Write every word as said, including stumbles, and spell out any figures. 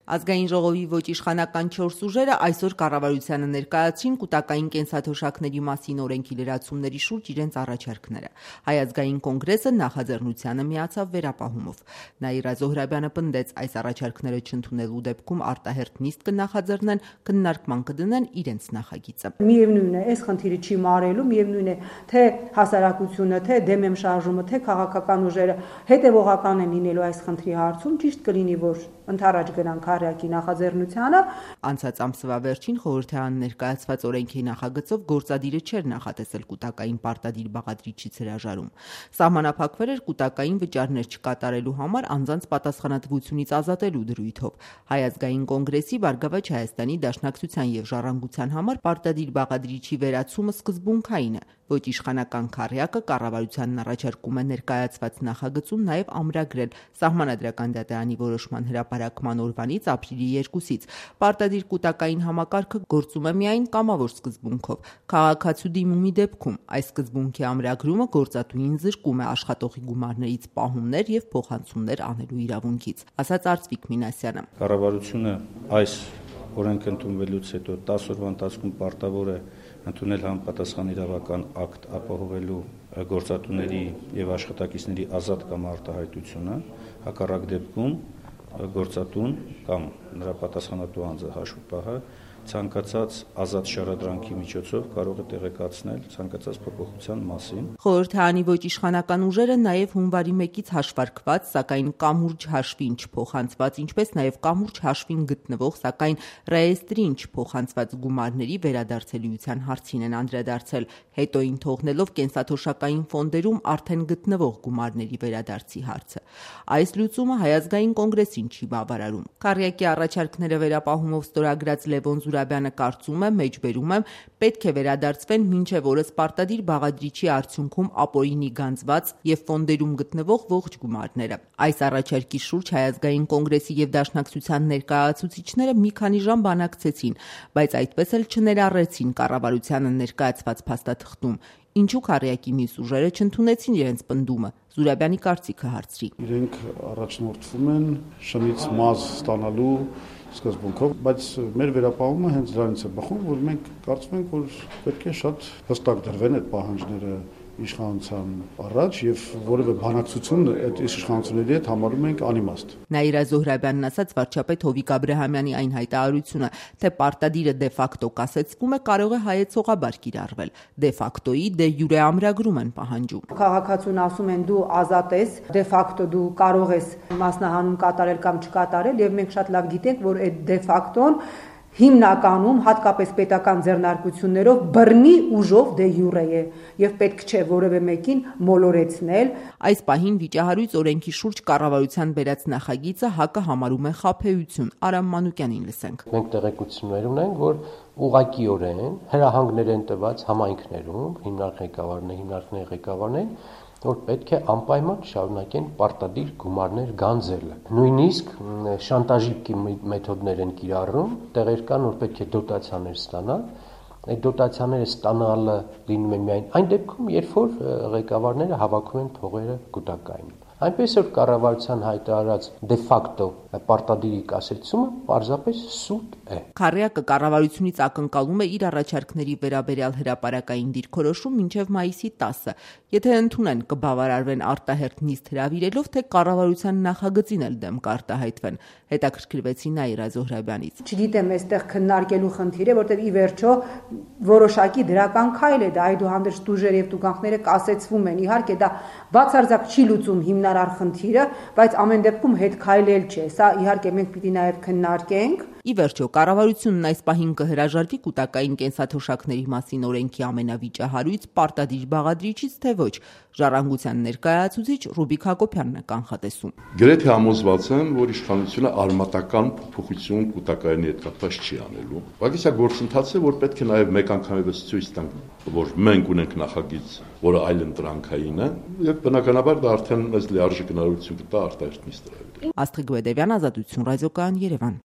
Ազգային ժողովի ոչ իշխանական չորս ուժերը այսօր կառավարությանը ներկայացրին կուտակային կենսաթոշակների մասին օրենքի լրացումների շուրջ իրենց առաջարկները։ Հայ ազգային կոնգրեսը նախաձեռնությանը միացավ վերապահումով։ Նաիրա Զոհրաբյանը պնդեց, այս առաջարկները չընդունելու դեպքում արտահերթ նիստ կնախաձեռնեն, քննարկման կդնեն իրենց նախագիծը։ Միևնույն է, այս խնդիրը չի մարելու, միևնույն է, թե հասարակությունը, թե դեմ շարժումը, թե քաղաքական ուժերը հետևողական են լինելու այս խնդրի հարցում, ճիշտ կլինի, որ ընդառաջ գնանք Քարյակի նախաձեռնությանը։ Անցած ամսվա վերջին խորհրդարան ներկայացված օրենքի նախագծով գործադիրը չէր նախատեսել կուտակային պարտադիր բաղադրիչից հրաժարում։ Սահմանափակվել էր կուտակային վճարներ չկատարելու համար անձանց պատասխանատվությունից ազատելու դրույթով։ Հայ ազգային կոնգրեսի Բարգավաճ Հայաստանի Դաշնակցության եւ Ժառանգության համար պարտադիր բաղադրիչի վերացումը սկզբունքային է։ Ոչ իշխանական Քարյակը կառավարությանն առաջարկում է ներկայացված նախագծում նաև ամրագրել Սահմանադրական դատարանի որոշման հրապարակման օրվանից ապրիլի երկուսից պարտադիր կուտակային համակարգը գործում է միայն կամավոր սկզբունքով։ Քաղաքացու դիմումի դեպքում այս սկզբունքի ամրագրումը գործատուին զրկում է աշխատողի գումարներից պահումներ եւ փոխանցումներ անելու իրավունքից, ասաց Արծվիկ Մինասյանը։ Կառավարությունը այս օրենքը ընդունվելուց հետո տասը օրվա ընթացքում պարտավոր է ընդունել համապատասխան իրավական ակտ ապահովելու գործատուների եւ աշխատակիցների ազատ կամ արտահայտությունը, հակառակ դեպքում գործատուն կամ նրա պատասխանատու անձը հաշվապահը ցանկացած ազատ շարադրանքի միջոցով կարող է տեղեկացնել ցանկացած փոփոխության մասին։ Խորհրդարանի ոչ իշխանական ուժերը նաև հունվարի մեկից հաշվարկված, սակայն կամուրջ հաշվին չփոխանցված, ինչպես նաև կամուրջ հաշվին գտնվող, սակայն ռեեստրին չփոխանցված գումարների վերադարձելիության հարցին են անդրադարձել, հետոին թողնելով կենսաթոշակային ֆոնդերում արդեն գտնվող գումարների վերադարձի հարցը։ Այս լուծումը Հայ ազգային կոնգրեսին չի բավարարում։ Քարյակի առաջարկները վերապահումով ստորագրած Լևոն Զուրաբյանը կարծում է, մեջբերում եմ, պետք է վերադարձվեն մինչև օրս պարտադիր բաղադրիչի արդյունքում ապօրինի գանձված եւ ֆոնդերում գտնվող ողջ գումարները։ Այս առաջարկի շուրջ Հայ ազգային կոնգրեսի եւ Դաշնակցության ներկայացուցիչները մի քանի ժամ բանակցեցին, բայց այդպես էլ չներառեցին կառավարությանը ներկայացված փաստաթղթում։ Ինչու Քարյակի մյուս ուժերը չընդունեցին իրենց պնդումը։ Զուրաբյանի կարծիքը հարցրի։ Իրենք առաջնորդվում են շնից մազ ստանալու սկզբունքով, բայց մեր վերապահումը հենց դրանից է բխում, որ մենք կարծում ենք, որ պետք է շատ հստակ դրվեն այդ պահանջները իշխանության առաջ եւ որևէ բանակցություն այդ իշխանությունների հետ համարում ենք անիմաստ։ Նաիրա Զոհրաբյանն ասաց վարչապետ Հովիկ Աբրահամյանի այն հայտարարությունը, թե պարտադիրը դե ֆակտո կասեցվում է, կարող է հայեցողաբար կիրառվել։ Դե ֆակտոյի դե յուրե ամրագրում են պահանջում։ Քաղաքացուն ասում են դու ազատ ես, դե ֆակտո դու կարող ես մասնահանում կատարել կամ չկատարել եւ մենք շատ լավ գիտենք, որ այդ դե ֆակտոն հիմնականում հատկապես պետական ձեռնարկություններով բռնի ուժով դե յուրե է եւ պետք չէ որևէ մեկին մոլորեցնել։ Այս պահին վիճահարույց օրենքի շուրջ կառավարության բերած նախագիծը ՀԱԿ-ը համարում է խաբեություն։ Արամ Մանուկյանին լսենք։ Մենք տեղեկություններ ունենք, որ ուղղակիորեն հրահանգներ են տված համայնքներում, հիմնարկ ղեկավարներ, հիմնարկների ղեկավարներ, որ պետք է անպայման շարունակեն պարտադիր գումարներ գանձելը։ Նույնիսկ շանտաժի մեթոդներ են կիրառում, տեղեր կան, որ պետք է դոտացիաներ ստանալ, այդ դոտացիաները ստանալը լինում է միայն այն դեպքում, երբ որ ղեկավարները հավաքում են փողերը կուտակային։ Այնպես որ կառավարության հայտարարած դե ֆակտո պարտադիրի կասեցումը պարզապես սուտ է։ Քարյակը կառավարությունից ակնկալում է իր առաջարկների վերաբերյալ հրապարակային դիրքորոշում մինչև մայիսի տասը։ Եթե ընդունեն, կբավարարվեն արտահերթ նիստ հրավիրելով, թե կառավարության նախագծին էլ դեմ կարտահայտվեն։ Հետաքրքրվեցի Նաիրա Զոհրաբյանից։ Չգիտեմ, այստեղ քննարկելու խնդիր է, որտեղ ի վերջո որոշակի դրական քայլ է դա, այդուհանդերձ դուժերը եւ տուգանքները կասեցվում են։ Իհարկե դա բացարձակ չի լուծում հիմնարար խնդիրը, բայց ամեն դեպքում հետ քայլել չէ։ Սա իհարկե մենք պիտի նաև քննարկենք։ Ի վերջո, կառավարությունն այս պահին կհրաժարվի կուտակային կենսաթոշակների մասին օրենքի ամենավիճահարույց պարտադիր բաղադրիչից, թե ոչ, Ժառանգության ներկայացուցիչ Ռուբիկ Հակոբյանն է կանխատեսում։ Գրեթե համոզված եմ, որ իշխանությունը արմատական փոփոխություն կուտակայինի հետ կապված չի անելու, բայց սա գործընթաց է, որ պետք է նաև մեկ անգամևս ցույց տանք, որ մենք ունենք նախագիծ, որը այլընտրանքային է, եւ բնականաբար դա արդեն մեզ լիարժեք հնարավորություն կտա արտահերթ նիստ հրավիրել։ Աստղիկ Բեդևյան, Ազատություն ռադիոկայան, Երևան։